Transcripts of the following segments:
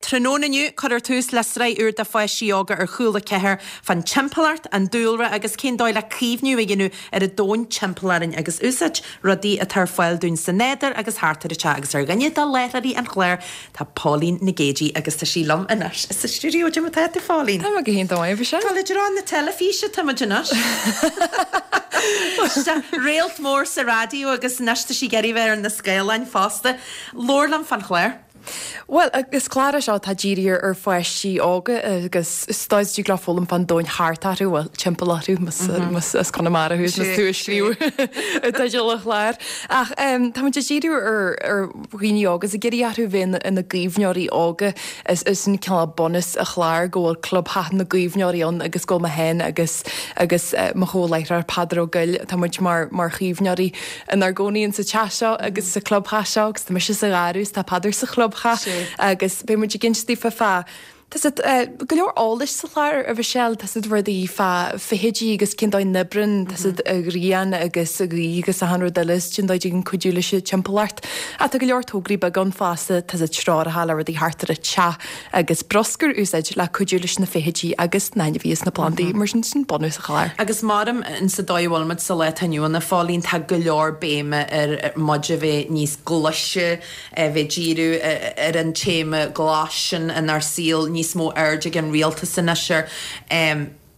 Tráthnóna inniu, cuirfear tús le sraith úr do pháistí óga ar Cúla 4 fán timpeallacht, an dúlra agus cén dóigh le caomhnú a dhéanamh ar an domhan timpeall orainn agus úsáid rudaí atá ar fáil dúinn sa nádúr agus thart ar an teach agus ar dhuine de láithreoirí an chláir tá Póilín Nic Géidigh agus tá sí liom anois sa stiúideo. Cad é mar atá tú, a Phóilín? Tá mé go hiontach maith, a Mhichelle. Tá le i dtreo na teilifíse tá muid anois. Réalt mór sa raidió agus anois tá sí ag iarraidh bheith ar na scáileáin fosta. Labhair liom fán chlár. Bhuel, is clár é seo atá dírithe ar pháistí óga agus is dóigh is dtig leo foghlaim fán domhan thart orthu, bhuel, timpeall orthu, más as Conamara thú is más tú a scríobh teideal an chláir. Ach tá muid ag díriú ar dhaoine óga is ag iarraidh orthu bheith ina gcaomhnóirí óga. Is sin cineál bunús an chláir go bhfuil clubtheach na gcaomhnóirí ann agus go bhfuil mé féin agus agus mo chomh-láithreoir Peadar Ó Goill, tá muid mar mar chaomhnóirí inár gcónaí insa teach seo agus sa chlubtheach seo agus tá mise sa gharradh is tá Peadar sa chlubtheach agus beidh muid ag inse daofa fá tá a fhios agat go leor eolais sa chlár a Mhichelle, tá a fhios agat rudaí fá feithidí agus cén dóigh a n-oibreann tá a fhios agat an ghrian agus an ghaoth agus achan rud eile is cén dóigh a dtig linn cuidiú leis an timpeallacht. Ach tá go leor tograí beaga ann fosta, tá a fhios agat treoracha le rudaí thart ar an teach agus bruscar a úsáid le cuidiú leis na feithidí agus na hainmhithe is na plandaí, mar sin, sin bunús an chláir. Agus maram in sa dóigh a bhfuil muid sa lá atá inniu ann, a Phóilín, tá go leor béime ar muid a bheith níos glaise, a bheith díriú ar an téama glas sin inár saol, níos mó aird ag an rialtas anois air.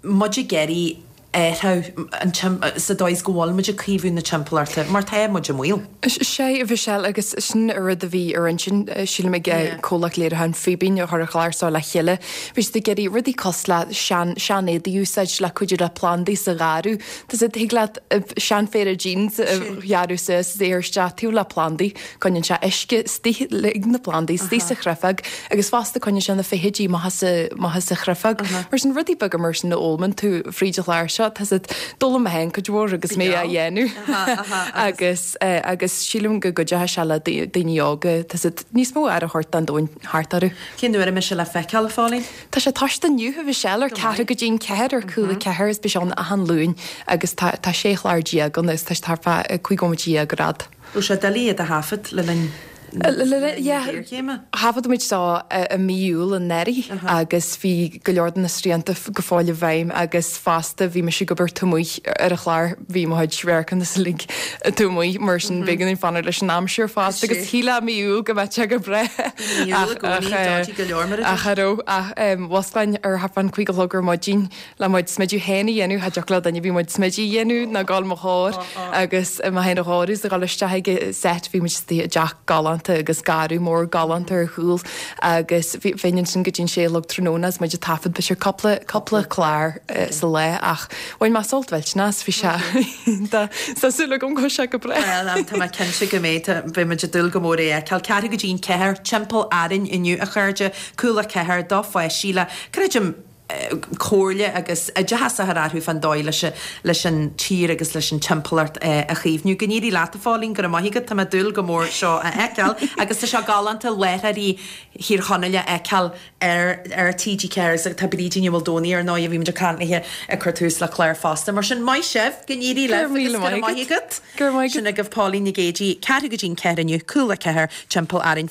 Muid ag iarraidh athrú an sa dóigh is go bhfuil muid ag caomhú na timpeallachta mar tá muid i mbaol. Sea, a Mhichelle, agus sin an rud a bhí ar intinn, sílim, ag comhlacht léiriúcháin Fíbín a chuir an clár seo le chéile. Bhí siad ag iarraidh rudaí cosúil le sean, sean-éadaí a úsáid le cuidiú le plandaí sa gharradh. Tá a fhios agat, thig leat seanphéire jeans a ghearradh suas is é a chur isteach taobh le plandaí. Coinníonn sé uisce istigh ag na plandaí istigh sa chreafóg agus fosta coinníonn sé na feithidí amach as amach as an chreafóg. Mar sin rudaí beaga mar sin a fhoghlaimeann tú fríd an chlár seo, tá a fhios agat, d'fhoghlaim mé féin cuid mhór agus mé á dhéanamh agus agus sílim go gcuideoidh sé le daoine óga, tá a fhios agat, níos mó aire a thabhairt don domhan thart orthu. Cén uair a mbeidh sé le feiceáil, a Phóilín? Tá sé toisithe inniu, a Mhichelle, ar ceathrú go dtí'n ceathair ar Cúla 4 is beidh sé ann achan Luan agus tá tá sé chlár ann agus tá sé thart fá 15 nóiméad ar fhad. Raibh sé doiligh iad a thaifead le linn na géarchéime? Thaifead muid seo i mí Iúil anuraidh agus bhí go leor de na srianta go fóill i bhfeidhm agus fosta bhí mise ag obair taobh amuigh ar an chlár, bhí mo chuid radharcanna is uilig taobh amuigh mar sin b'éigean dúinn fanacht leis an aimsir fosta agus shílfeá mí Iúil go mbeadh sé go breá Mí Iúil i gcónaí dodgy go leor mar a ach cha raibh ach mhusclainn ar thart fán 5 a chlog ar maidin Le mo chuid smideadh féin a dhéanamh, cha dtiocfadh le duine ar bith mo chuid smididh a dhéanamh ná gabháil mo chomhair agus mé féin a dhóiriú is a dhul isteach ag an set, bhí muid istigh i dteach galánta agus garradh mór galánta ar chúl agus bhí, bheinn ansin go dtí an sé a chlog tráthnóna agus muid ag taifead b'fhéidir cúpla, cúpla clár sa lá ach bhain mé sult mhillteanach as, bhí sé iontach, tá súil agam go bhfuil sé go breá. Bhuel, tá mé cinnte go mbeidh, tá, beidh muid ag dúil go mór é a fheiceáil. Ceathrú go dtí an ceathair, timpeall Árainn inniu a chairde, Cúla 4 do pháistí le, creidim, comhairle agus oideachas a chur orthu fán dóigh leis leis an tír agus leis an timpeallacht a chaomhnú. Go n-éirí leat a Phóilín, go raibh maith agat, tá mé ag dúil go mór seo a fheiceáil agus tá sé galánta láithreoirí Thír Chonaill a fheiceáil ar ar TG4 agus tá Brídín Ní Mhaoldomhnaigh ar ndóigh a bhí muid ag caint léi ag cur tús le clár fosta. Mar sin, maith sibh, go n-éirí libh agus go raibh maith agat. Go raibh maith agat. Sin agaibh Póilín Nic Géidigh, ceathrú go dtí'n ceathair inniu, Cúla 4, timpeall Árainn.